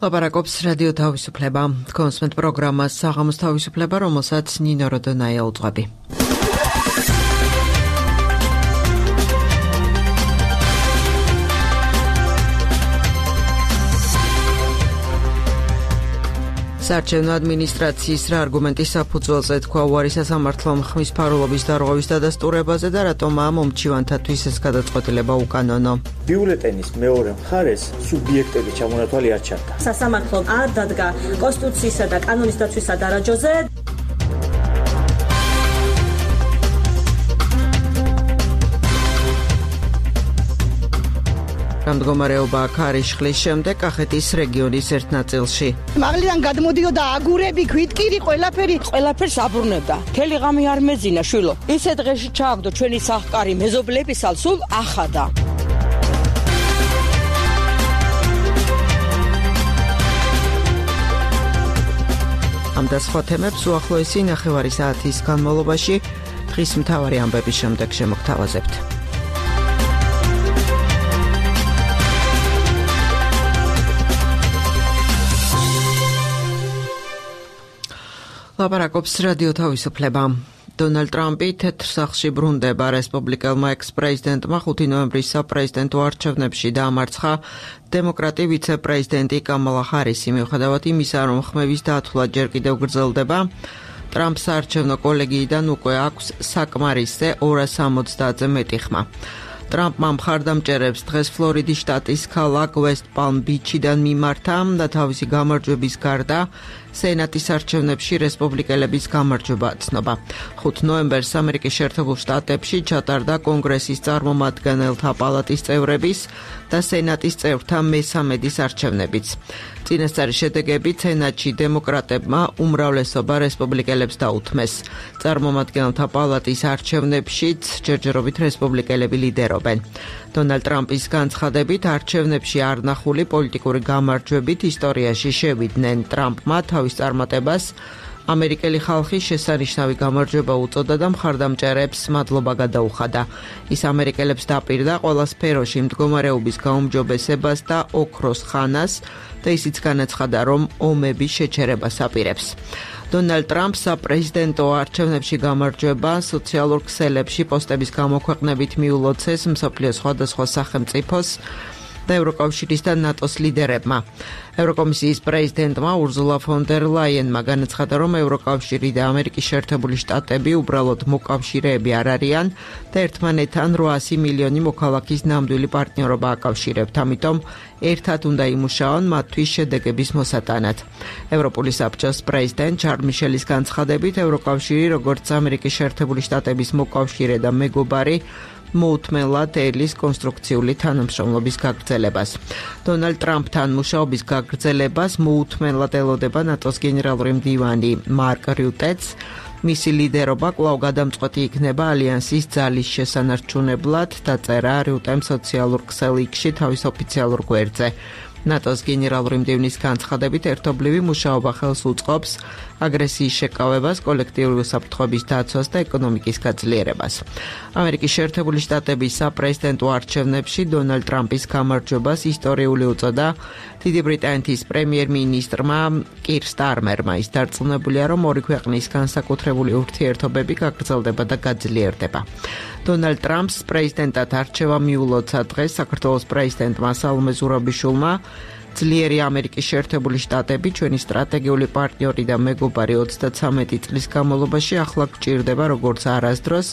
ლაპარაკობს რადიო თავისუფლება. კონსმენთ პროგრამას საღამოს თავისუფლება, რომელსაც ნინო როდონაია უძღვები. საარჩევნო ადმინისტრაციის რა არგუმენტის საფუძველზე თქვა უარი სასამართლომ ხმის ფარულობის დარღვევის დადასტურებაზე და რატომ ამ მომჩივანთათვის ეს გადაწყვეტილება უკანონო. ბიულეტენის მეორე მხარეს სუბიექტების ჩამონათვალი არ ჩანდა. სასამართლომ არ დადგა კონსტიტუციისა და კანონის დაცვის სადარაჯოზე. მდგომარეობა ქარიშხლის შემდეგ კახეთის რეგიონის ერთ ნაწილში. მაღლიდან გადმოდიოდა აგურები, ქვითკირი, ყველაფერს აბრუნებდა. მთელი ღამე არ მეძინა შვილო. ისე დღეში ჩააგდო ჩვენი სახკარი მეზობლებისალ სულ ახადა. ამ და სხვა თემებს უახლოესი ნახევარი საათის განმავლობაში დღის მთავარი ამბების შემდეგ შემოგთავაზებთ. ლაპარაკობს რადიო თავისუფლება. დონალდ ტრამპი თეთრ სახლში ბრუნდება. რესპუბლიკელმა ექს-პრეზიდენტმა 5 ნოემბრის საპრეზიდენტო არჩევნებში დაამარცხა დემოკრატი ვიცე-პრეზიდენტი კამალა ჰარისი, მიუხედავად იმისა, რომ ხმების დათვლა ჯერ კიდევ გრძელდება. ტრამპს საარჩევნო კოლეგიიდან უკვე აქვს საკმარისზე 270-ზე მეტი ხმა. ტრამპმა მხარდამჭერებს დღეს ფლორიდის შტატის ქალაქ ვესტ პალმ ბიჩიდან მიმართა და თავისი გამარჯვების გარდა სენატის არჩევნებში რესპუბლიკელების გამარჯვება აცნობა. 5 ნოემბერს ამერიკის შეერთებულ შტატებში ჩატარდა კონგრესის წარმომადგენელთა პალატის წევრების და სენატის წევრთა მესამედის არჩევნებიც. წინასწარი შედეგებით სენატში დემოკრატებმა უმრავლესობა რესპუბლიკელებს დაუთმეს. წარმომადგენელთა პალატის არჩევნებშიც ჯერჯერობით რესპუბლიკელები ლიდერობენ. დონალდ ტრამპის განცხადებით არჩევნებში არ ნახული პოლიტიკური გამარჯვებით ისტორიაში შევიდნენ. ტრამპმა თავის წარმატებას ამერიკელი ხალხის შესანიშნავი გამარჯვება უწოდა და მხარდამჭერებს მადლობა გადაუხადა. ის ამერიკელებს დაპირდა ყველა სფეროში მდგომარეობის გაუმჯობესებას და ოქროს ხანას და ისიც განაცხადა, რომ ომების შეჩერებას აპირებს. დონალდ ტრამპს საპრეზიდენტო არჩევნებში გამარჯვება სოციალურ ქსელებში პოსტების გამოქვეყნებით მიულოცეს მსოფლიოს სხვადასხვა სახელმწიფოს და ევროკავშირის და ნატოს ლიდერებმა. ევროკომისიის პრეზიდენტმა ურზულა ფონ დერ ლაიენმა განაცხადა, რომ ევროკავშირი და ამერიკის შეერთებული შტატები უბრალოდ მოკავშირეები არ არიან და ერთმანეთთან 800 მილიონი მოქალაქის ნამდვილი პარტნიორობა აკავშირებთ, ამიტომ ერთად უნდა იმუშაონ მათთვის შედეგების მოსატანად. ევროპული საბჭოს პრეზიდენტ ჩარლ მიშელის განცხადებით, ევროკავშირი, როგორც ამერიკის შეერთებული შტატების მოკავშირე და მეგობარი, მოუთმენლად ელის კონსტრუქციული თანამშრომლობის გაგრძელებას. დონალდ ტრამპთან მუშაობის გაგრძელებას მოუთმენლად ელოდება ნატოს გენერალური მდივანი მარკ რიუტეც. მისი ლიდერობა კვლავ გადამწყვეტი იქნება ალიანსის ძალის შესანარჩუნებლად, დაწერა რიუტემ სოციალურ ქსელში თავის ოფიციალურ გვერდზე. ნატოს გენერალური მდივნის განცხადებით ერთობლივი მუშაობა ხელს უწყობს აგრესიის შეკავებას, კოლექტიური უსაფრთხოების დაცვას და ეკონომიკის გაძლიერებას. ამერიკის შეერთებული შტატების საპრეზიდენტო არჩევნებში დონალდ ტრამპის გამარჯვებას ისტორიული უწოდა დიდი ბრიტანეთის პრემიერ-მინისტრმა კირ სტარმერმა. ის დარწმუნებულია, რომ ორი ქვეყნის განსაკუთრებული ურთიერთობები გაგრძელდება და გაძლიერდება. დონალდ ტრამპს პრეზიდენტად არჩევა მიულოცა დღეს საქართველოს პრეზიდენტმა სალომე ზურაბიშვილმა. ძლიერი ამერიკის შეერთებული შტატები, ჩვენი სტრატეგიული პარტნიორი და მეგობარი 33 წლის განმავლობაში ახლა გჭირდება როგორც არასდროს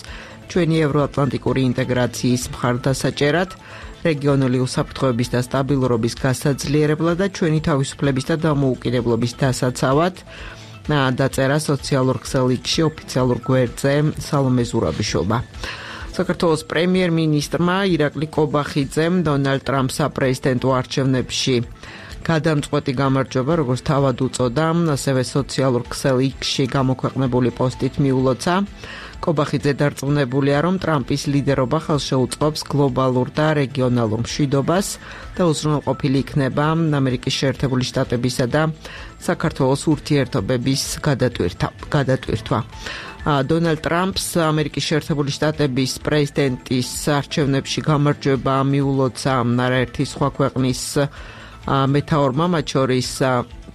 ჩვენი ევროატლანტიკური ინტეგრაციის მხარდასაჭერად, რეგიონული უსაფრთხოების და სტაბილურობის გასაძლიერებლად და ჩვენი თავისუფლების და დამოუკიდებლობის დასაცავად, დაწერა სოციალურ ქსელში ოფიციალურ გვერდზე სალომე ზურაბიშვილმა. საქართველოს პრემიერ-მინისტრმა ირაკლი კობახიძემ დონალდ ტრამპს საპრეზიდენტო არჩევნებში გადამწყვეტი გამარჯვება, როგორც თავად უწოდა, ასევე სოციალურ ქსელში გამოქვეყნებული პოსტით მიულოცა. კობახიძე დარწმუნებულია, რომ ტრამპის ლიდერობა ხელშეუწყობს გლობალურ და რეგიონალურ მშვიდობას და უზრუნველყოფილი იქნება ამერიკის შეერთებული შტატებისა და საქართველოს ურთიერთობების გადატვირთვა. დონალდ ტრამპს ამერიკის შეერთებული შტატების პრეზიდენტის არჩევნებში გამარჯვება მიულოცა არაერთი სხვა ქვეყნის მეთაურმა, მათ შორის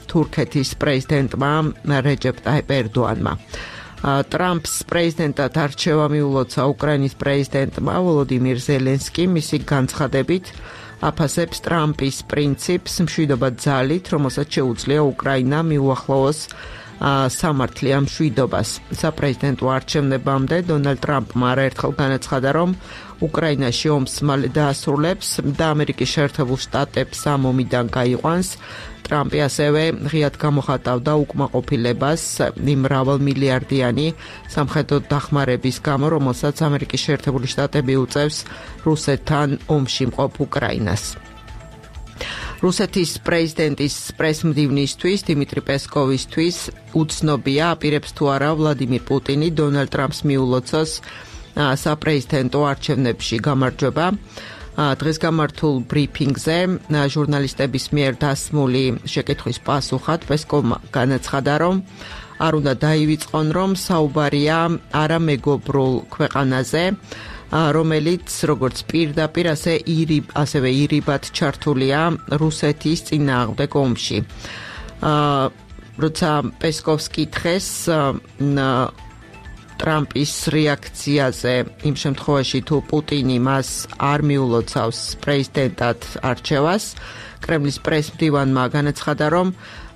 თურქეთის პრეზიდენტმა რეჯეპ ტაიპ ერდოანმა. ტრამპს პრეზიდენტად არჩევა მიულოცა უკრაინის პრეზიდენტმა ვოლოდიმირ ზელენსკიმ, მისი განცხადებით აფასებს ტრამპის პრინციპს მშვიდობა ძალით, რომელსაც შეუძლია უკრაინამ მიუახლოვოს სამართლიან მშვიდობას. საპრეზიდენტო არჩევნებამდე დონალდ ტრამპმა არაერთხელ განაცხადა, რომ უკრაინაში ომს მალე დაასრულებს და ამერიკის შეერთებულ შტატებს ამ ომიდან გაიყვანს. ტრამპი ასევე ღიად გამოხატავდა უკმაყოფილებას იმ მრავალმილიარდიანი სამხედრო დახმარების გამო, რომელსაც ამერიკის შეერთებული შტატები უწევს რუსეთთან ომში მყოფ უკრაინას. რუსეთის პრეზიდენტის პრესმდივნისთვის დიმიტრი პესკოვისთვის უცნობია, აპირებს თუ არა ვლადიმირ პუტინი დონალდ ტრამპს მიულოცოს საპრეზიდენტო არჩევნებში გამარჯვება. დღეს გამართულ ბრიფინგზე ჟურნალისტების მიერ დასმული შეკითხვის პასუხად პესკოვმა განაცხადა, რომ არ უნდა დაივიწყონ, რომ საუბარია არამეგობრულ ქვეყანაზე, რომელიც როგორც პირდაპირ ასევე ირიბად ჩართულია რუსეთის წინააღმდეგ ომში. როცა პესკოვს კითხეს ტრამპის რეაქციაზე იმ შემთხვევაში თუ პუტინი მას არ მიულოცავს პრეზიდენტად არჩევას, კრემლის პრესმდივანმა განაცხადა, რომ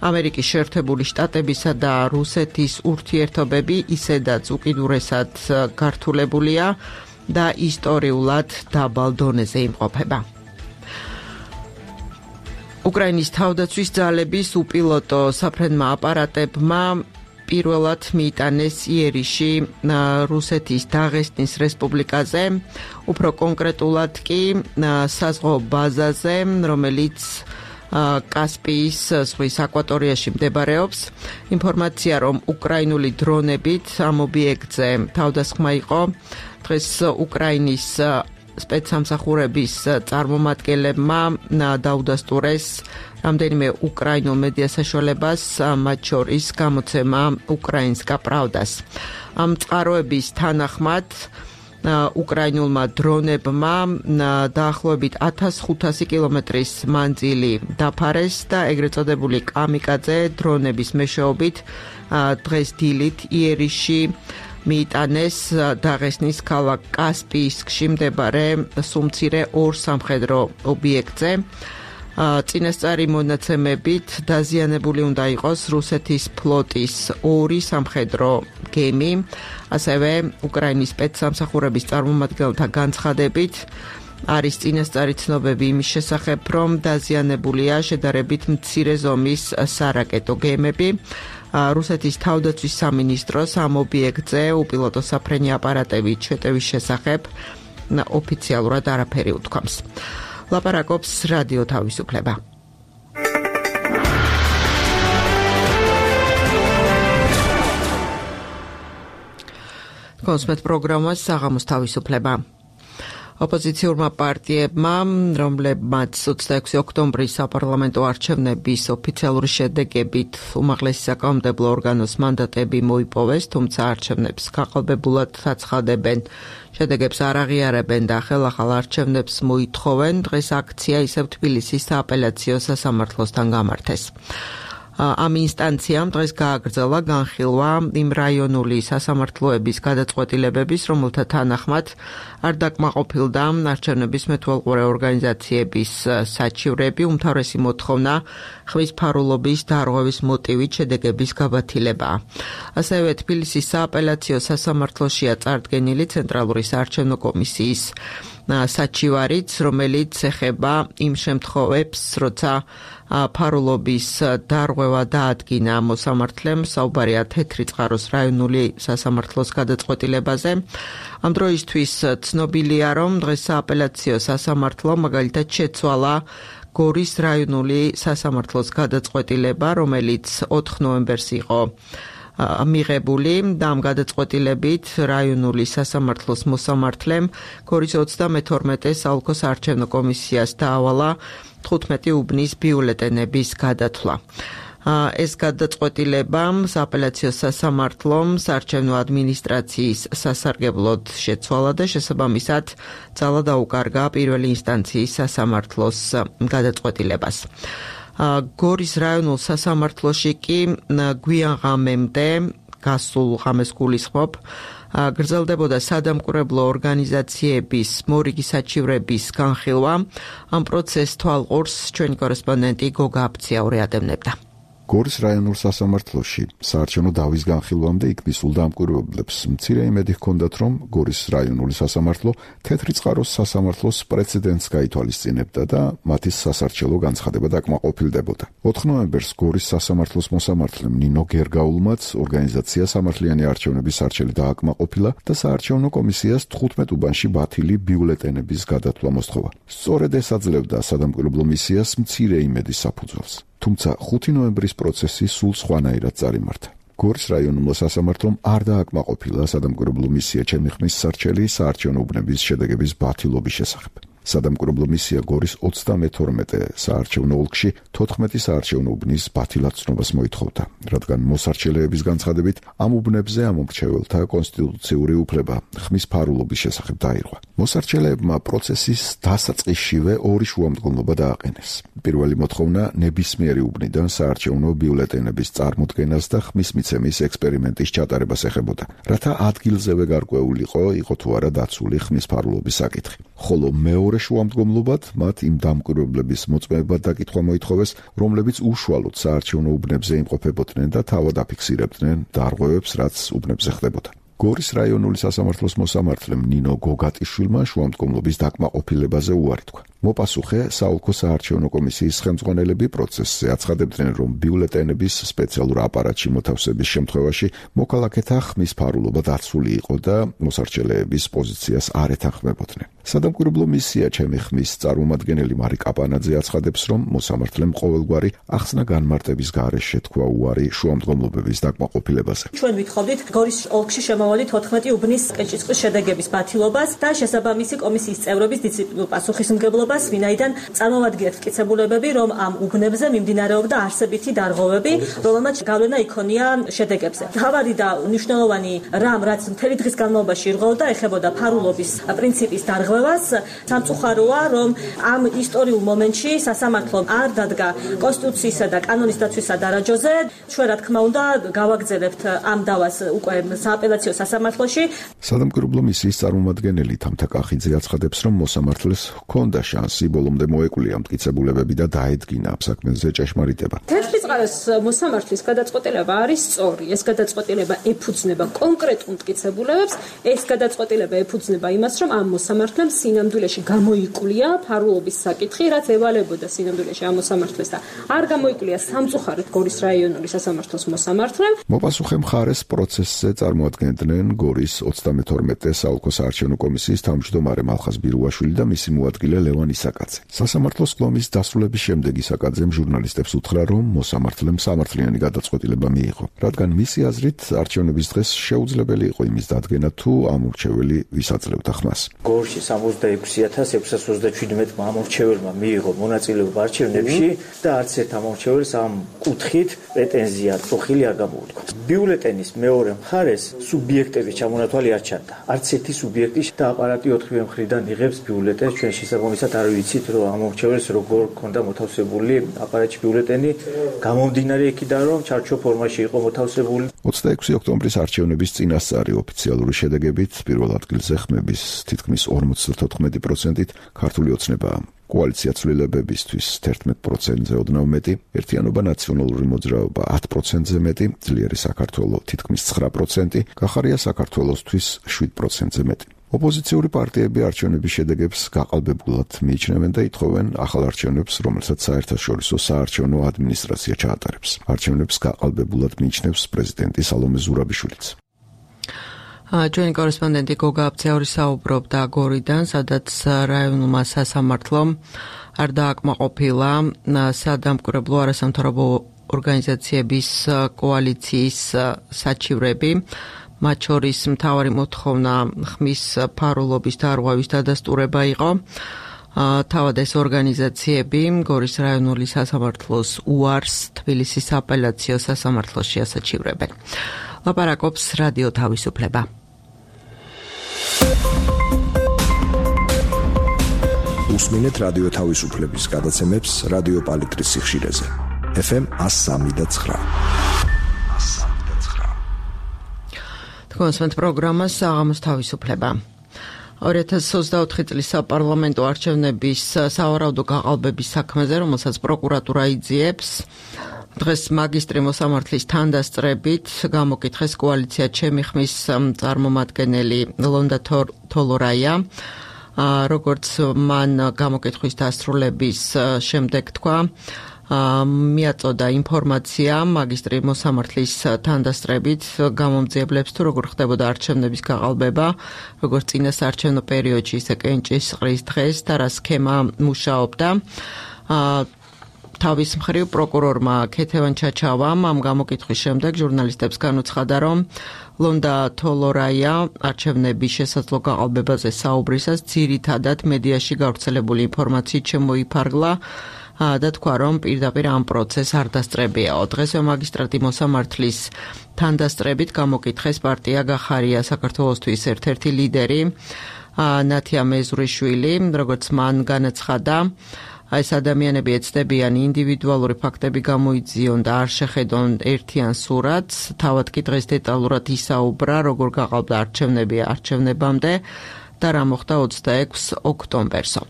ამერიკის შეერთებული შტატებისა და რუსეთის ურთიერთობები ისედაც უკიდურესად გართულებულია და ისტორიულად დაბალ დონეზე იმყოფება. უკრაინის თავდაცვის ძალების უპილოტო საფრენმა აპარატებმა პირველად მიიტანეს იერიში რუსეთის დაღესტნის რესპუბლიკაზე, უფრო კონკრეტულად კი საზღვაო ბაზაზე, რომელიც კასპიის ზღვის აკვატორიაში მდებარეობს. ინფორმაცია, რომ უკრაინული დრონებით ამ ობიექტზე თავდასხმა იყო, დღეს უკრაინის სპეცსამსახურების წარმომადგენლებმა დაუდასტურეს რამდენიმე უკრაინულ მედია საშუალებას, მათ შორის გამოცემა უკრაინსკა პრავდას. ამ წყაროების თანახმად უკრაინულმა დრონებმა დაახლოებით 1500 კილომეტრის მანძილი დაფარეს და ეგრეთ წოდებული კამიკაძე დრონების მეშვეობით დღეს დილით იერიში მიიტანეს დაღესტნის ქალაქ კასპიისკში მდებარე სუმცირე ორ სამხედრო ობიექტზე. წინასწარი მონაცემებით დაზიანებული უნდა იყოს რუსეთის ფლოტის ორი სამხედრო გემი, ასევე უკრაინის სპეცსამსახურების წარმომადგენელთა განცხადებით არის წინასწარი ცნობები იმის შესახებ, რომ დაზიანებულია შედარებით მცირე ზომის სარაკეტო გემები. რუსეთის თავდაცვის სამინისტროს ამ ობიექტზე უპილოტო საფრენი აპარატებით შეტევის შესახებ ოფიციალურად არაფერი უთქვამს. ლაპარაკობს რადიო თავისუფლება. კონსმეთ პროგრამა საღამოს თავისუფლება. ოპოზიციურმა პარტიებმა, რომლებმაც 26 ოქტომბრის საპარლამენტო არჩევნების ოფიციალური შედეგებით უმაღლესი საკანონმდებლო ორგანოს მანდატები მოიპოვეს, თუმცა არჩევნებს გაყალბებულად აცხადებენ, შედეგებს არ აღიარებენ და ხელახალ არჩევნებს მოითხოვენ, დღეს აქცია ისევ თბილისის სააპელაციო სასამართლოსთან გამართეს. ამ ინსტანციამ დღეს გააგრძელა განხილვა იმ რაიონული სასამართლოების გადაწყვეტილებების, რომელთა თანახმად არ დაკმაყოფილდა არჩევნების მეთვალყურე ორგანიზაციების საჩივრები, უმთავრესი მოთხოვნა ხმის ფარულობის დარღვევის მოტივით შედეგების გაბათილებაა. ასევე თბილისის სააპელაციო სასამართლოშია წარდგენილი ცენტრალური საარჩევნო კომისიის საჩივარიც, რომელიც ეხება იმ შემთხვევებს, როცა ფარულობის დარღვევა დაადგინა მოსამართლემ, საუბარია თეთრი წყაროს რაიონული სასამართლოს გადაწყვეტილებაზე. ამ დროისთვის ცნობილია, რომ დღეს სააპელაციო სასამართლო მაგალითად შეცვალა გორის რაიონული სასამართლოს გადაწყვეტილება, რომელიც 4 ნოემბერს იყო მიღებული და ამ გადაწყვეტილებით რაიონული სასამართლოს მოსამართლემ გორის 32 საოლქო საარჩევნო კომისიას დაავალა 15 უბნის ბიულეტენების გადათვლა. ეს გადაწყვეტილება სააპელაციო სასამართლომ საარჩევნო ადმინისტრაციის სასარგებლოდ შეცვალა და შესაბამისად ძალა დაუკარგა პირველი ინსტანციის სასამართლოს გადაწყვეტილებას. გორის რაიონულ სასამართლოში კი გვიან ღამემდე გასულ ღამეს გულისხმობ გრძელდებოდა სადამკვირვებლო ორგანიზაციების მორიგი საჩივრების განხილვა. ამ პროცესს თვალყურს ჩვენი კორესპონდენტი გოგა აფციაური ადევნებდა. გორის რაიონულ სასამართლოში საარჩევნო დავის განხილვამდე იქ მისულ დამკვირვებლებს მცირე იმედი ჰქონდათ, რომ გორის რაიონული სასამართლო თეთრი წყაროს სასამართლოს პრეცედენტს გაითვალისწინებდა და მათი სასარჩელო განცხადება დაკმაყოფილდებოდა. 4 ნოემბერს გორის სასამართლოს მოსამართლემ ნინო გერგაულმაც ორგანიზაცია სამართლიანი არჩევნების სარჩელი დააკმაყოფილა და საარჩევნო კომისიას 15 უბანში ბათილი ბიულეტენების გადათვლა მოსთხოვა. სწორედ ეს აძლევდა სადამკვირვებლო მისიას მცირე იმედის საფუძველს. თუმცა 5 ნოემბრის პროცესი სულ სხვანაირად წარიმართა. გორის რაიონულ სასამართლომ არ დააკმაყოფილა სადამკვირვებლო მისია ჩემი ხმის სარჩელი საარჩევნო უბნების შედეგების ბათილობის შესახებ. სადამკვირვებლო მისია გორის 32 საარჩევნო ოლქში 14 საარჩევნო უბნის ბათილად ცნობას მოითხოვდა, რადგან მოსარჩელეების განცხადებით ამ უბნებზე ამომრჩეველთა კონსტიტუციური უფლება ხმის ფარულობის შესახებ დაირღვა. მოსარჩელეებმა პროცესის დასაწყისშივე ორი შუამდგომლობა დააყენეს. პირველი მოთხოვნა ნებისმიერი უბნიდან საარჩევნო ბიულეტენების წარმოდგენას და ხმის მიცემის ექსპერიმენტის ჩატარებას ეხებოდა, რათა ადგილზევე გარკვეულიყო იყო თუ არა დაცული ხმის ფარულობის საკითხი. ხოლო მეორე შუამდგომლობად მათ იმ დამკვირვებლების მოწმეებად დაკითხვა მოითხოვეს, რომლებიც უშუალოდ საარჩევნო უბნებზე იმყოფებოდნენ და თავად აფიქსირებდნენ დარღვევებს, რაც უბნებზე ხდებოდა. გორის რაიონული სასამართლოს მოსამართლემ ნინო გოგატიშვილმა შუამდგომლობის დაკმაყოფილებაზე უარი თქვა. მოპასუხე საოლქო საარჩევნო კომისიის ხელმძღვანელები პროცესზე აცხადებდნენ, რომ ბიულეტენების სპეციალურ აპარატში მოთავსების შემთხვევაში მოქალაქეთა ხმის ფარულობა დაცული იყო და მოსარჩელეების პოზიციას არ ეთანხმებოდნენ. სადამკვირვებლო მისია ჩემი ხმის წარმომადგენელი მარი კაპანაძე აცხადებს, რომ მოსამართლემ ყოველგვარი ახსნა განმარტების გარეშე თქვა უარი შუამდგომლობების დაკმაყოფილებაზე. ჩვენ ვითხოვდით გორის ოლქში შემოვადით 14 უბნის კენჭისყრის შედეგების ბათილობას და შესაბამისი კომისიის წევრების დისციპლინურ პასუხისმგებლობას, ვინაიდან წარმოვადგინეთ მტკიცებულებები, რომ ამ უბნებზე მიმდინარეობდა არსებითი დარღვევები, რომელმაც გავლენა იქონია შედეგებზე. მთავარი და მნიშვნელოვანი რამ, რაც მთელი დღის განმავლობაში ირღვეოდა, ეხებოდა ფარულობის პრინციპის დარღვევას. სამწუხაროა, რომ ამ ისტორიულ მომენტში სასამართლომ არ დადგა კონსტიტუციისა და კანონის დაცვის სადარაჯოზე. ჩვენ, რა თქმა უნდა, გავაგზავნებთ ამ დავას უკვე სააპელაციო სასამართლოში. სადამკვირვებლო მისიის წარმომადგენელი თამთა კახიძე აცხადებს, რომ მოსამართლეს ჰქონდა შანსი ბოლომდე მოეკვლია მტკიცებულებები და დაედგინა ამ საქმეზე ჭეშმარიტება. თეთრი წყაროს მოსამართლის გადაწყვეტილება არის სწორი. ეს გადაწყვეტილება ეფუძნება კონკრეტულ მტკიცებულებებს. ეს გადაწყვეტილება ეფუძნება იმას, რომ ამ მოსამართლემ სინამდვილეში გამოიკვლია ფარულობის საკითხი, რაც ევალებოდა სინამდვილეში ამ მოსამართლეს და არ გამოიკვლია სამწუხაროდ გორის რაიონული სასამართლოს მოსამართლემ. მოპასუხე მხარეს პროცესზე წარმოადგენდნენ გორის 32 საოლქო საარჩევნო კომისიის თავმჯდომარე მალხაზ ბირუაშვილი და მისი მოადგილე ლევან ისაკაძე. სასამართლოს კლომის დასრულების შემდეგ ისაკაძემ ჟურნალისტებს უთხრა, რომ მოსამართლემ სამართლიანი გადაწყვეტილება მიიღო, რადგან მისი აზრით არჩევნების დღეს შეუძლებელი იყო იმის დადგენა, თუ ამორჩეველი ვის აძლევდა ხმას. გორში 66,627 ამორჩეველმა მიიღო მონაწილეობა არჩევნებში და არც ერთ ამორჩეველს ამ კუთხით პრეტენზია წოხილი არ გამოუთქვა. ბიულეტენის მეორე მხარეს სუბიექტების ჩამონათვალი არ ჩანდა. არც ერთი სუბიექტი და აპარატი 4-ვე მხრიდან იღებს ბიულეტენს. ჩვენ შესაბამისად არ ვიცით, რომ ამორჩეველს როგორ ქონდა მოთავსებული აპარატში ბიულეტენი, გამომდინარე იქიდან, რომ ჩარჩო ფორმაში იყო მოთავსებული. 26 ოქტომბრის არჩევნების წინასწარი ოფიციალური შედეგებით პირველ ადგილზე ხმების თითქმის 54%-ით ქართული ოცნებაა. კოალიცია ცვლილებებისთვის 11%-ზე ოდნავ მეტი, ერთიანობა ნაციონალური მოძრაობა 10%-ზე მეტი, ძლიერი საქართველო თითქმის 9%, გახარია საქართველოსთვის 7%-ზე მეტი. ოპოზიციური პარტიები არჩევნების შედეგებს გაყალბებულად მიიჩნევენ და ითხოვენ ახალ არჩევნებს, რომელსაც საერთაშორისო საარჩევნო ადმინისტრაცია ჩაატარებს. არჩევნებს გაყალბებულად მიიჩნევს პრეზიდენტი სალომე ზურაბიშვილიც. ჩვენი კორესპონდენტი გოგა აფციაური საუბრობდა გორიდან, სადაც რაიონულმა სასამართლომ არ დააკმაყოფილა სადამკვირვებლო არასამთავრობო ორგანიზაციების კოალიციის საჩივრები. მათ შორის მთავარი მოთხოვნა ხმის ფარულობის დარღვევის დადასტურება იყო. თავად ეს ორგანიზაციები გორის რაიონული სასამართლოს უარს თბილისის აპელაციო სასამართლოში ასაჩივრებენ. ლაპარაკობს რადიო თავისუფლება. უსმინეთ რადიო თავისუფლების გადაცემებს რადიო პალიტრის სიხშირეზე. FM 103.9. თქვენს პროგრამას საღამოს თავისუფლება. 2024 წლის საპარლამენტო არჩევნების სავარაუდო გაყალბების საქმეზე, რომელსაც პროკურატურა იძიებს, დღეს მაგისტრი მოსამართლის თანდასწრებით გამოკითხეს კოალიცია ჩემი ხმის წარმომადგენელი ლონდა თოლორაია. როგორც მან გამოკითხვის დასრულების შემდეგ თქვა, მიაწოდა ინფორმაცია მაგისტრი მოსამართლის თანდასწრებით გამომძიებლებს თუ როგორ ხდებოდა არჩევნების გაყალბება, როგორც წინა საარჩევნო პერიოდში, ისე კენჭისყრის დღეს და რა სქემა მუშაობდა. თავის მხრივ პროკურორმა ქეთევან ჩაჩავამ ამ გამოკითხვის შემდეგ ჟურნალისტებს განუცხადა, რომ ლონდა თოლორაია არჩევნების შესაძლო გაყალბებაზე საუბრისას ძირითადად მედიაში გავრცელებული ინფორმაციით შემოიფარგლა და თქვა, რომ პირდაპირ ამ პროცესს არ დასწრებიაო. დღესვე მაგისტრატი მოსამართლის თანდასწრებით გამოკითხეს პარტია გახარია საქართველოსთვის ერთ-ერთი ლიდერი ნათია მეზრიშვილი, როგორც მან განაცხადა, ეს ადამიანები ეცდებიან ინდივიდუალური ფაქტები გამოიძიონ და არ შეხედონ ერთიან სურათს. თავად კი დღეს დეტალურად ისაუბრა, როგორ გაყალბდა არჩევნები არჩევნებამდე და რა მოხდა 26 ოქტომბერსო.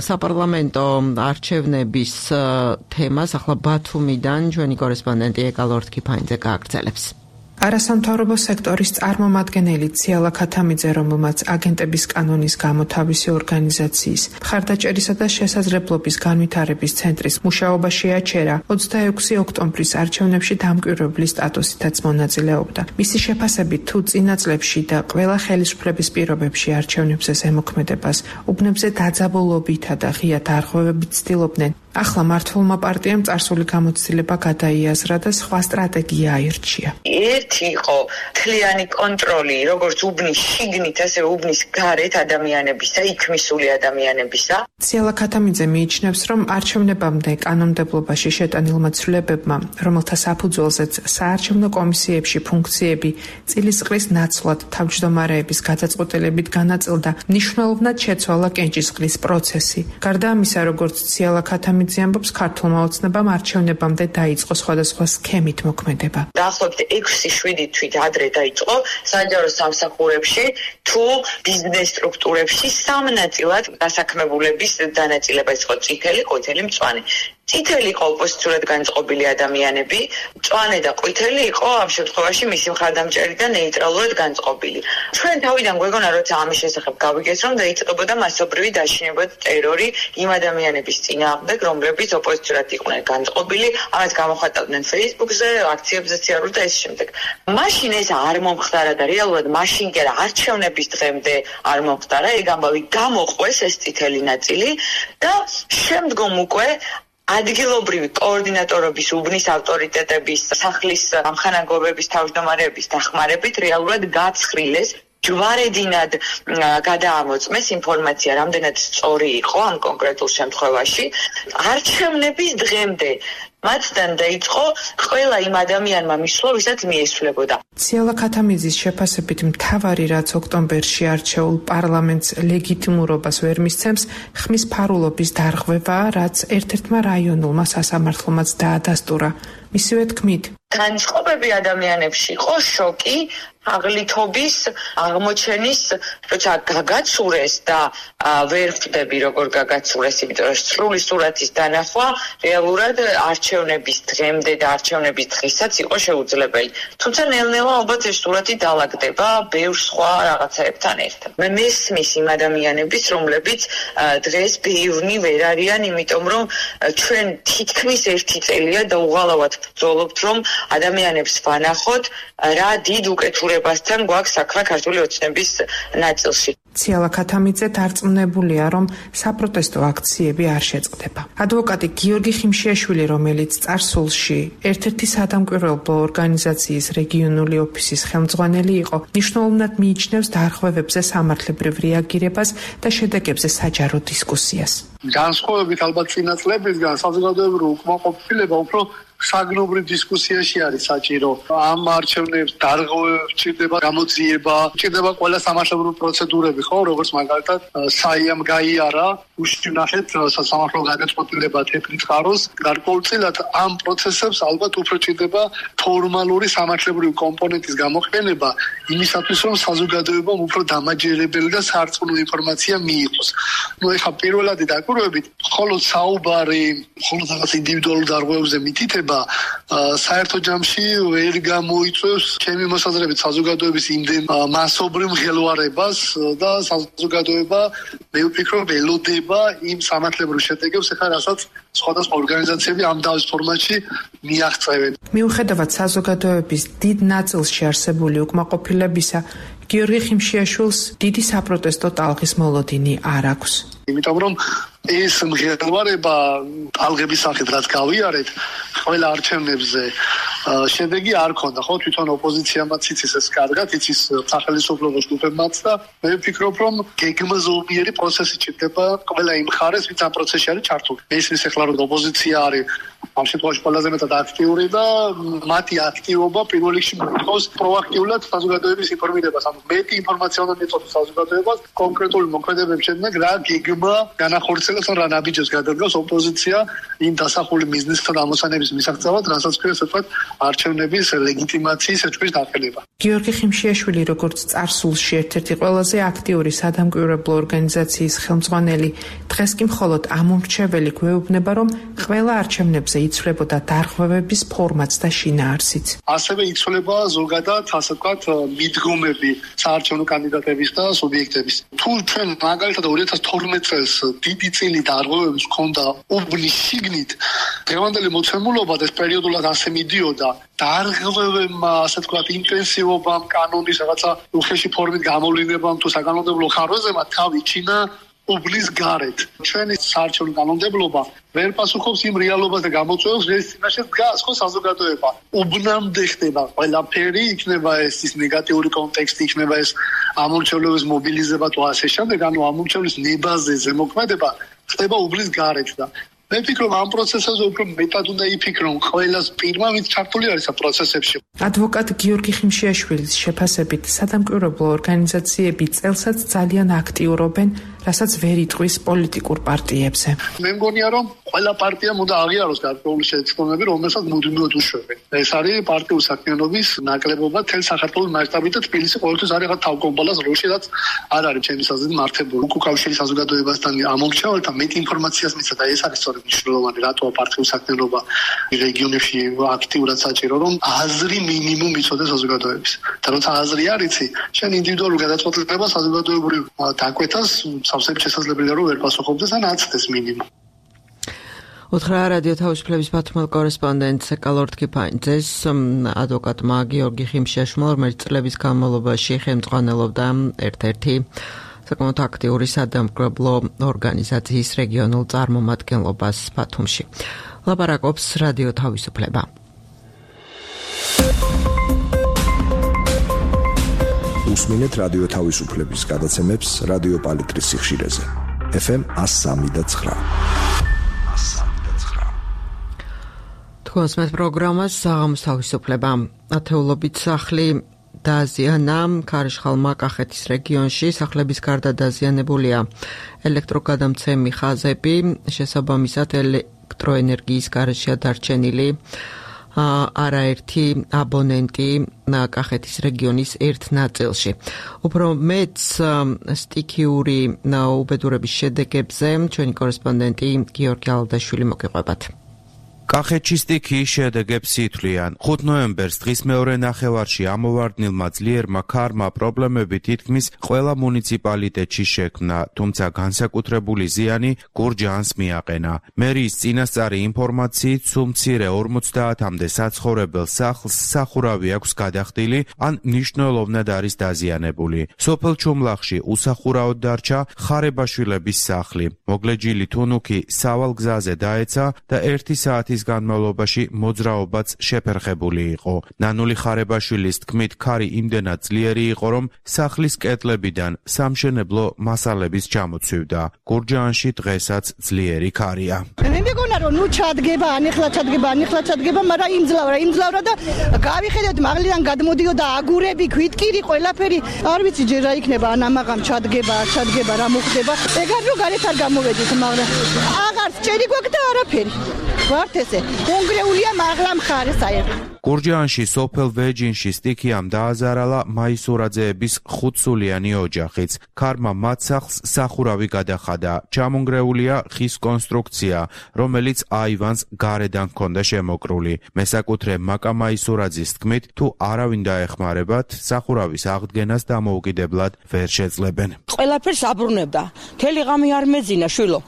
საპარლამენტო არჩევნების თემას ახლა ბათუმიდან ჩვენი კორესპონდენტი ეკალორთქიფაინძე გააგრძელებს. არასამთავრობო სექტორის წარმომადგენელი ციალა ქათამიძე, რომელმაც აგენტების კანონის გამო თავისი ორგანიზაციის მხარდაჭერისა და შესაძლებლობის განვითარების ცენტრის მუშაობაში აჩერა, 26 ოქტომბრის არჩევნებში დამკვირვებლის სტატუსითაც მონაწილეობდა. მისი შეფასებით, თუ წინა წლებში და ყველა ხელისუფლების პირობებში არჩევნებზე ზემოქმედებას უბნებზე დაძაბულობითა და ღია დარღვევებით ცდილობდნენ, ახლა მართლმა პარტიამ წარსული გამოცდილება გადაიაზრა და სხვა სტრატეგია აირჩია. ერთი იყო თლიანი კონტროლი, როგორც უბნის შიგნით, ასევე უბნის გარეთ ადამიანებისა, იქ მისული ადამიანებისა. ციალა ქათამიძე მიიჩნევს, რომ არჩევნებამდე კანონმდებლობაში შეტანილმა ცვლილებებმა, რომელთა საფუძველზეც საარჩევნო კომისიებში ფუნქციები წილისყრის ნაცვლად თავმჯდომარეების გადაწყვეტილებით განაწილდა, მნიშვნელოვნად შეცვალა კენჭისყრის პროცესი. გარდა ამისა, როგორც ციალა ქათამიძე ამბობს, ქართულმა ოცნებამ არჩევნებამდე დაიწყო სხვადასხვა სქემით მოქმედება. დაახლოებით 6-7 თვით ადრე დაიწყო საჯარო სამსახურებში თუ ბიზნეს სტრუქტურებში სამ ნაწილად დასაქმებულების დანაწილება იყო წითელი, ყვითელი, მწვანე. წითელი იყო ოპოზიციურად განწყობილი ადამიანები, მწვანე და ყვითელი იყო ამ შემთხვევაში მისი მხარდამჭერი და ნეიტრალურად განწყობილი. ჩვენ თავიდან გვეგონა, როცა ამის შესახებ გავიგეთ, რომ დაიწყებოდა მასობრივი დაშინება და ტერორი იმ ადამიანების წინააღმდეგ, რომლებიც ოპოზიციურად იყვნენ განწყობილი, ამას გამოხატავდნენ Facebook-ზე, აქციებზე სიარული და ეს შემდეგ. მაშინ ეს არ მომხდარა და რეალურად მაშინ კი არა, არჩევნების დღემდე არ მომხდარა, ეგ ამბავი გამოყვეს ეს წითელი ნაწილი და შემდგომ უკვე ადგილობრივი კოორდინატორობის, უბნის ავტორიტეტების, სახლის ამხანაგობების თავმჯდომარეების დახმარებით რეალურად გაცხრილეს, ჯვარედინად გადაამოწმეს ინფორმაცია, რამდენად სწორი იყო ამ კონკრეტულ შემთხვევაში. არჩევნების დღემდე მათთან დაიწყო ყველა იმ ადამიანმა მისვლა, ვისაც მიესვლებოდა. ციალა ქათამიძის შეფასებით, მთავარი რაც ოქტომბერში არჩეულ პარლამენტს ლეგიტიმურობას ვერ მისცემს, ხმის ფარულობის დარღვევაა, რაც ერთ-ერთმა რაიონულმა სასამართლომაც დაადასტურა. მისივე თქმით, განწყობები ადამიანებში იყო შოკი, აღლითობის, აღმოჩენის, როცა გაგაცურეს და ვერ ხვდები როგორ გაგაცურეს, იმიტომ რომ სრული სურათის დანახვა რეალურად არჩევნების დღემდე და არჩევნების დღესაც იყო შეუძლებელი. თუმცა ნელ-ნელა ალბათ ეს სურათი დაალაგდება ბევრ სხვა რაღაცაებთან ერთად. მე მესმის იმ ადამიანების, რომლებიც დღეს ბევრნი ვერ არიან, იმიტომ რომ ჩვენ თითქმის ერთი წელია და უღალავად ბრძოლობთ, რომ ადამიანებს ვანახოთ რა დიდ უკეთურებასთან გვაქვს საქმე ქართული ოცნების ნაწილში. ციალა ქათამიძე დარწმუნებულია, რომ საპროტესტო აქციები არ შეწყდება. ადვოკატი გიორგი ხიმშიაშვილი, რომელიც წარსულში ერთ-ერთი სადამკვირვებლო ორგანიზაციის რეგიონული ოფისის ხელმძღვანელი იყო, მნიშვნელოვნად მიიჩნევს დარღვევებზე სამართლებრივ რეაგირებას და შედეგებზე საჯარო დისკუსიას. განსხვავებით ალბათ წინა წლებისგან საზოგადოებრივი უკმაყოფილება უფრო საგნობრივ დისკუსიაში არის საჭირო. ამ არჩევნებს დარღვევებს ჭირდება გამოძიება, ჭირდება ყველა სამართლებრივი პროცედურები, ხო, როგორც მაგალითად საიამ გაიარა, უშინახეთ სასამართლო გადაწყვეტილება თეთრი წყაროს. გარკვეულწილად ამ პროცესებს ალბათ უფრო ჭირდება ფორმალური სამართლებრივი კომპონენტის გამოყენება იმისათვის, რომ საზოგადოებამ უფრო დამაჯერებელი და სარწმუნო ინფორმაცია მიიღოს. ეხლა პირველადი დაკვირვებით, მხოლოდ საუბარი, მხოლოდ რაღაც ინდივიდუალურ დარღვევებზე მითითება საერთო ჯამში ვერ გამოიწვევს ჩემი მოსაზრებით საზოგადოების იმდენ მასობრივ მღელვარებას და საზოგადოება მე ვფიქრობ ელოდება იმ სამართლებრივ შედეგებს, რასაც სხვადასხვა ორგანიზაციები ამ დავის ფორმატში მიაღწევენ. მიუხედავად საზოგადოების დიდ ნაწილში არსებული უკმაყოფილებისა, გიორგი ხიმშიაშვილს დიდი საპროტესტო ტალღის მოლოდინი არ აქვს. იმიტომ რომ ეს მღელვარება ტალღების სახით რაც გავიარეთ ყველა არჩევნებზე შედეგი არ ქონდა, ხო, თვითონ ოპოზიციამაც იცის ეს კარგად, იცის სახელმწიფო ჯგუფებმაც და მე ვფიქრობ, რომ გეგმაზომიერი პროცესი ჭირდება ყველა იმ მხარეს, ვინც ამ პროცესში არის ჩართული. მესმის ახლა რომ ოპოზიცია არის ამ შემთხვევაში ყველაზე მეტად აქტიური და მათი აქტივობა პირველ რიგში მოითხოვს პროაქტიულად საზოგადოების ინფორმირებას. ანუ მეტი ინფორმაცია უნდა მიეწოდოს საზოგადოებას კონკრეტული მოქმედებების შედეგად რა გეგმა განახორციელებს ან რა ნაბიჯებს გადადგას ოპოზიცია იმ დასახული მიზნისთან ამოსანების მისაღწევად, რასაც ქვია ასე ვთქვათ არჩევნების ლეგიტიმაციის ეჭვის დაყენება. გიორგი ხიმშიაშვილი, როგორც წარსულში ერთ-ერთი ყველაზე აქტიური სადამკვირვებლო ორგანიზაციის ხელმძღვანელი, დღეს კი მხოლოდ ამომრჩეველი გვეუბნება, რომ ყველა არჩევნებზე იცვლებოდა დარღვევების ფორმატს და შინაარსიც. ასევე იცვლება ზოგადად, ასე ვთქვათ, მიდგომები საარჩევნო კანდიდატების და სუბიექტების. თუ ჩვენ მაგალითად 2012 წელს დიდი წილი დარღვევების ჰქონდა უბნის შიგნით, დღევანდელი მოცემულობა ეს პერიოდულად ასე მიდიოდა. დარღვევებმა, ასე ვთქვათ, ინტენსივობამ, კანონის რაღაცა უხეში ფორმით გამოვლინებამ თუ საკანონმდებლო ხარვეზებმა თავი ჩინა უბნის გარეთ. ჩვენი საარჩევნო კანონმდებლობა ვერ პასუხობს იმ რეალობას და გამოწვევს, რის წინაშე დგას ხო საზოგადოება. უბნამდე ხდება ყველაფერი, იქნება ეს ნეგატიური კონტექსტი, იქნება ეს ამორჩევლობის მობილიზება თუ ასე შემდეგ, ანუ ამორჩევლის ნებაზე ზემოქმედება ხდება უბნის გარეთ და მე ვფიქრობ, ამ პროცესებზე უფრო მეტად უნდა იფიქრონ ყველას პირმა, ვინც ჩართული არის ამ პროცესებში. ადვოკატ გიორგი ხიმშიაშვილის შეფასებით, სადამკვირვებლო ორგანიზაციები წელსაც ძალიან აქტიურობენ, რასაც ვერ იტყვის პოლიტიკურ პარტიებზე. მე მგონია, რომ ყველა პარტიამ უნდა აღიაროს გარკვეული შეცდომები, რომელსაც მუდმივად უშვებენ. ეს არის პარტიული საქმიანობის ნაკლებობა თელ საქართველოს მასშტაბით და თბილისი ყოველთვის არის რაღაც თავკომპონენტის როლში, რაც არ არის ჩემი აზრით მართებული. უკავშირი საზოგადოებასთან ამომრჩეველთა მეტ ინფორმაციას მისცა და ეს არის სწორედ მნიშვნელოვანი, რატოა პარტიული საქმიანობა რეგიონებში აქტიურად საჭირო, რომ აზრი მინიმუმ იცოდეს საზოგადოების. და როცა აზრი არ იცი, შენ ინდივიდუალურ გადაწყვეტილებას საზოგადოებრივ დაკვეთას სავსებით შესაძლებელია რომ ვერ პასუხობდეს ან აცდეს მინიმუმ. უთხრა რადიო თავისუფლების ბათუმელ კორესპონდენტს ეკალორდ კიფაინძეს ადვოკატმა გიორგი ხიმშიაშვილმა, რომელიც წლების განმავლობაში ხელმძღვანელობდა ერთ-ერთი საკმაოდ აქტიური სადამკვირვებლო ორგანიზაციის რეგიონულ წარმომადგენლობას ბათუმში. ლაპარაკობს რადიო თავისუფლება. უსმინეთ რადიო თავისუფლების გადაცემებს რადიო პალიტრის სიხშირეზე. FM 103.9. თქვენს მე პროგრამას საღამოს თავისუფლება. ათეულობით სახლი დააზიანა ქარიშხალმა კახეთის რეგიონში. სახლების გარდა დაზიანებულია ელექტროგადამცემი ხაზები, შესაბამისად ელექტროენერგიის გარეშეა დარჩენილი არაერთი აბონენტი კახეთის რეგიონის ერთ ნაწილში. უფრო მეც სტიქიური უბედურების შედეგებზე ჩვენი კორესპონდენტი გიორგი ალდაშვილი მოგიყვებათ. კახეთში სტიქიის შედეგებს ითვლიან. 5 ნოემბერს დღის მეორე ნახევარში ამოვარდნილმა ძლიერმა ქარმა პრობლემები თითქმის ყველა მუნიციპალიტეტში შექმნა, თუმცა განსაკუთრებული ზიანი გურჯაანს მიაყენა. მერიის წინასწარი ინფორმაციით, სულ მცირე 50-მდე საცხოვრებელ სახლს სახურავი აქვს გადახდილი, ან მნიშვნელოვნად არის დაზიანებული. სოფელ ჩუმლახში უსახურავად დარჩა ხარებაშვილების სახლი. მოგლეჯილი თუნუქი სავალ გზაზე დაეცა და 1 საათის განმავლობაში მოძრაობაც შეფერხებული იყო. ნანული ხარებაშვილის თქმით, ქარი იმდენად ძლიერი იყო, რომ სახლის კედლებიდან სამშენებლო მასალების ჩამოცვივდა. გურჯაანში დღესაც ძლიერი ქარია. მე მეგონა რომ ნუ ჩადგება, ანიხლა ჩადგება, მაგრამ იმძლავრა და გავიხედეთ მაღლიდან გადმოდიოდა აგურები, ქვითკირი, ყველაფერი. არ ვიცი ჯერ რა იქნება, ან ამაღამ ჩადგება, არ ჩადგება, რა მოხდება. ეგარ რო გარეთ არ გამოვედით, მაგრამ აღარ ჭერი გვაქვს და არაფერი. ვართ ესე, კონგრეულია მაღლა მხარე საერთოდ. გურჯაანში სოფელ ვეჯინში სტიქიამ დააზარალა მაისურაძეების 5-სულიანი ოჯახიც. ქარმა მათ სახლს სახურავი გადახადა. ჩამონგრეულია ხის კონსტრუქცია, რომელიც აივანს გარედან ჰქონდა შემოკრული. მესაკუთრე მაკა მაისურაძის თქმით, თუ არავინ დაეხმარებათ, სახურავის აღდგენას დამოუკიდებლად ვერ შეძლებენ. ყველაფერს აბრუნებდა. მთელი ღამე არ მეძინა შვილო.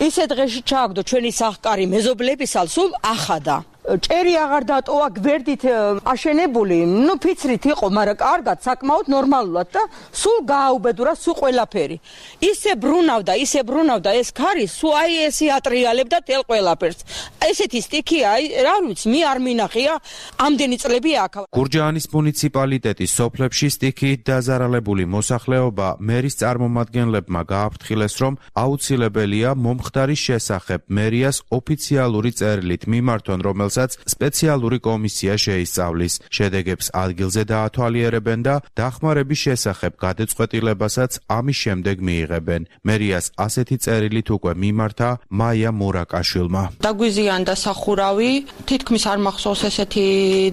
ისე დღეში ჩააგდო ჩვენი სახკარი მეზობლებისალ სულ ახადა. ჭერი აღარ დატოვა გვერდით აშენებული, ფიცრით იყო, მაგრამ კარგად, საკმაოდ ნორმალურად და სულ გააუბედურა სულ ყველაფერი. ისე ბრუნავდა ეს ქარი, სულ აი ესე ატრიალებდა თელ ყველაფერს. ესეთი სტიქია, რა ვიცი, მე არ მინახია, ამდენი წლები აქ. გურჯაანის მუნიციპალიტეტის სოფლებში სტიქიით დაზარალებული მოსახლეობა მერის წარმომადგენლებმა გააფრთხილეს, რომ აუცილებელია მომხდარის შესახებ მერიას ოფიციალური წერილით მიმართონ, რომელსაც სპეციალური კომისია შეისწავლის. შედეგებს ადგილზე დაათვალიერებენ და დახმარების შესახებ გადაწყვეტილებასაც ამის შემდეგ მიიღებენ. მერიას ასეთი წერილით უკვე მიმართა მაია მურაკაშვილმა. დაგვიზიანდა სახურავი, თითქმის არ მახსოვს ესეთი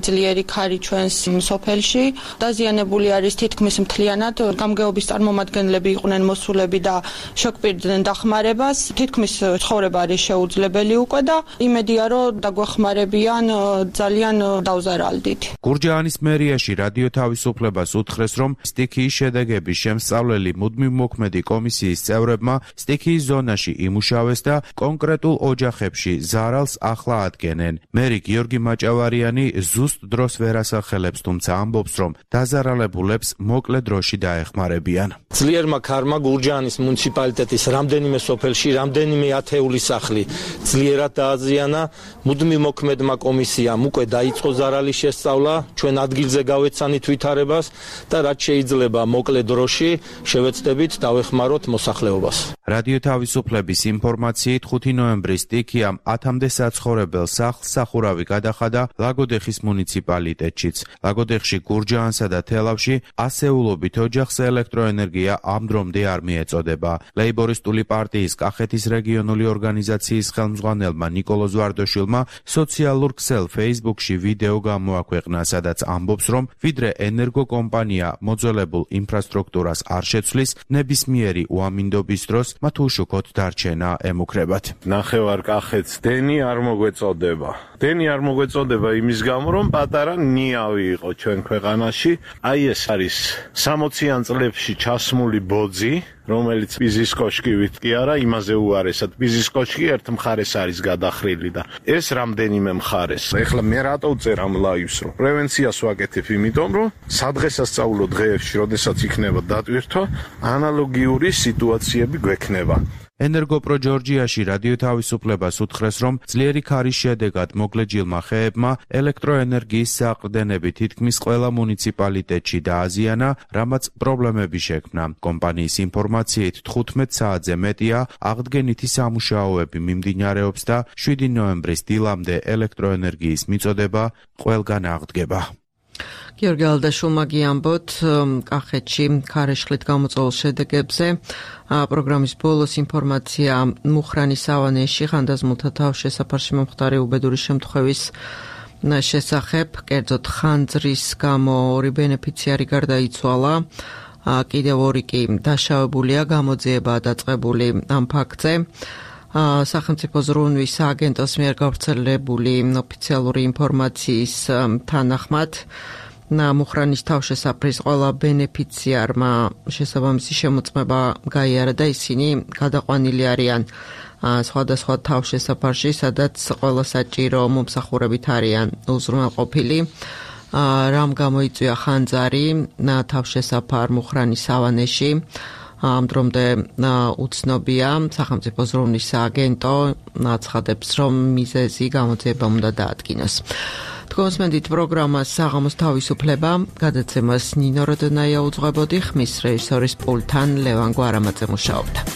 ძლიერი ქარი ჩვენს სოფელში. დაზიანებული არის თითქმის მთლიანად. გამგეობის წარმომადგენლები იყვნენ მოსულები და შეკპირდნენ დახმარებას. თითქმის ცხოვრება არის შეუძლებელი უკვე და იმედია რომ დაგვეხმარებიან ძალიან დავზარალდით. გურჯაანის მერიაში რადიო თავისუფლებას უთხრეს, რომ სტიქიის შედეგების შემსწავლელი მუდმივმოქმედი კომისიის წევრებმა სტიქიის ზონაში იმუშავეს და კონკრეტულ ოჯახებში ზარალს ახლა ადგენენ. მერი გიორგი მაჭავარიანი ზუსტ დროს ვერ ასახელებს, თუმცა ამბობს, რომ დაზარალებულებს მოკლე დროში დაეხმარებიან. ძლიერმა ქარმა გურჯაანის მუნიციპალიტეტის რამდენიმე სოფელში, რამდენიმე ათეული სახლი ძლიერად დააზიანა. მუდმივმოქმედმა კომისიამ უკვე დაიწყო ზარალის შესწავლა, ჩვენ ადგილზე გავეცანით ვითარებას და რაც შეიძლება მოკლე დროში შევეცდებით დავეხმაროთ მოსახლეობას. რადიო თავისუფლების ინფორმაციით 5 ნოემბრის სტიქიამ 10-მდე საცხოვრებელ სახლს სახურავი გადახადა ლაგოდეხის მუნიციპალიტეტშიც. ლაგოდეხში, გურჯაანსა და თელავში ასეულობით ოჯახს ელექტროენერგია ამ დრომდე არ მიეწოდება. ლეიბორისტული პარტიის კახეთის რეგიონული ორგანიზაციის ხელმძღვანელმა ნიკოლოზ ვარდოშვილმა სოციალურ ქსელ Facebook-ში ვიდეო გამოაქვეყნა, სადაც ამბობს, რომ ვიდრე ენერგოკომპანია მოძველებულ ინფრასტრუქტურას არ შეცვლის, ნებისმიერი უამინდობის დროს მათ უშუქოდ დარჩენა ემუქრებათ. ნახევარ კახეთს დენი არ მოგვეწოდება. დენი არ მოგვეწოდება იმის გამო, რომ პატარა ნიავი იყო ჩვენ ქვეყანაში. აი ეს არის 60-იან წლებში ჩასმული ბოძი, რომელიც პიზის კოშკივით კი არა, იმაზე უარესად. პიზის კოშკი ერთ მხარეს არის გადახრილი და ეს რამდენიმე მხარეს. ეხლა მე რატო ვწერ ამ ლაივს, რომ პრევენციას ვაკეთებ, იმიტომ რომ სადღესასწაულო დღეებში, როდესაც იქნება დატვირთვა, ანალოგიური სიტუაციები გვექნება. ენერგოპრო ჯორჯიაში რადიო თავისუფლებას უთხრეს, რომ ძლიერი ქარის შედეგად მოგლეჯილმა ხეებმა ელექტროენერგიის საყრდენები თითქმის ყველა მუნიციპალიტეტში დააზიანა, რამაც პრობლემები შექმნა. კომპანიის ინფორმაციით 15 საათზე მეტია აღდგენითი სამუშაოები მიმდინარეობს და 7 ნოემბრის დილამდე ელექტროენერგიის მიწოდება ყველგან აღდგება. გიორგი ალდაშულმა გიამბოთ კახეთში ქარეშხლით გამოწვეულ შედეგებზე. პროგრამის ბოლოს ინფორმაცია მუხრანის სავანეში ხანდაზმულთა თავშესაფარში მომხდარი უბედური შემთხვევის შესახებ. კერძოდ ხანძრის გამო 2 ბენეფიციარი გარდაიცვალა. კიდევ 2 კი დაშავებულია, გამოძიებაა დაწყებული ამ ფაქტზე. სახელმწიფო ზრუნვის სააგენტოს მიერ გავრცელებული ოფიციალური ინფორმაციის თანახმად მუხრანის თავშესაფრის ყველა ბენეფიციარმა შესაბამისი შემოწმება გაიარა და ისინი გადაყვანილი არიან სხვადასხვა თავშესაფარში, სადაც ყველა საჭირო მომსახურებით არიან უზრუნველყოფილი. რამ გამოიწვია ხანძარი თავშესაფარ მუხრანის სავანეში. ამ დრომდე უცნობია, სახელმწიფო ზრუნვის სააგენტო აცხადებს, რომ მიზეზი გამოძიება უნდა დაადგინოს. თქვენსმენდით პროგრამას საღამოს თავისუფლება, გადაცემას ნინო როდონაია უძღვებოდი, ხმის რეჟისორის პულტთან ლევან გვარამაძე მუშაობდა.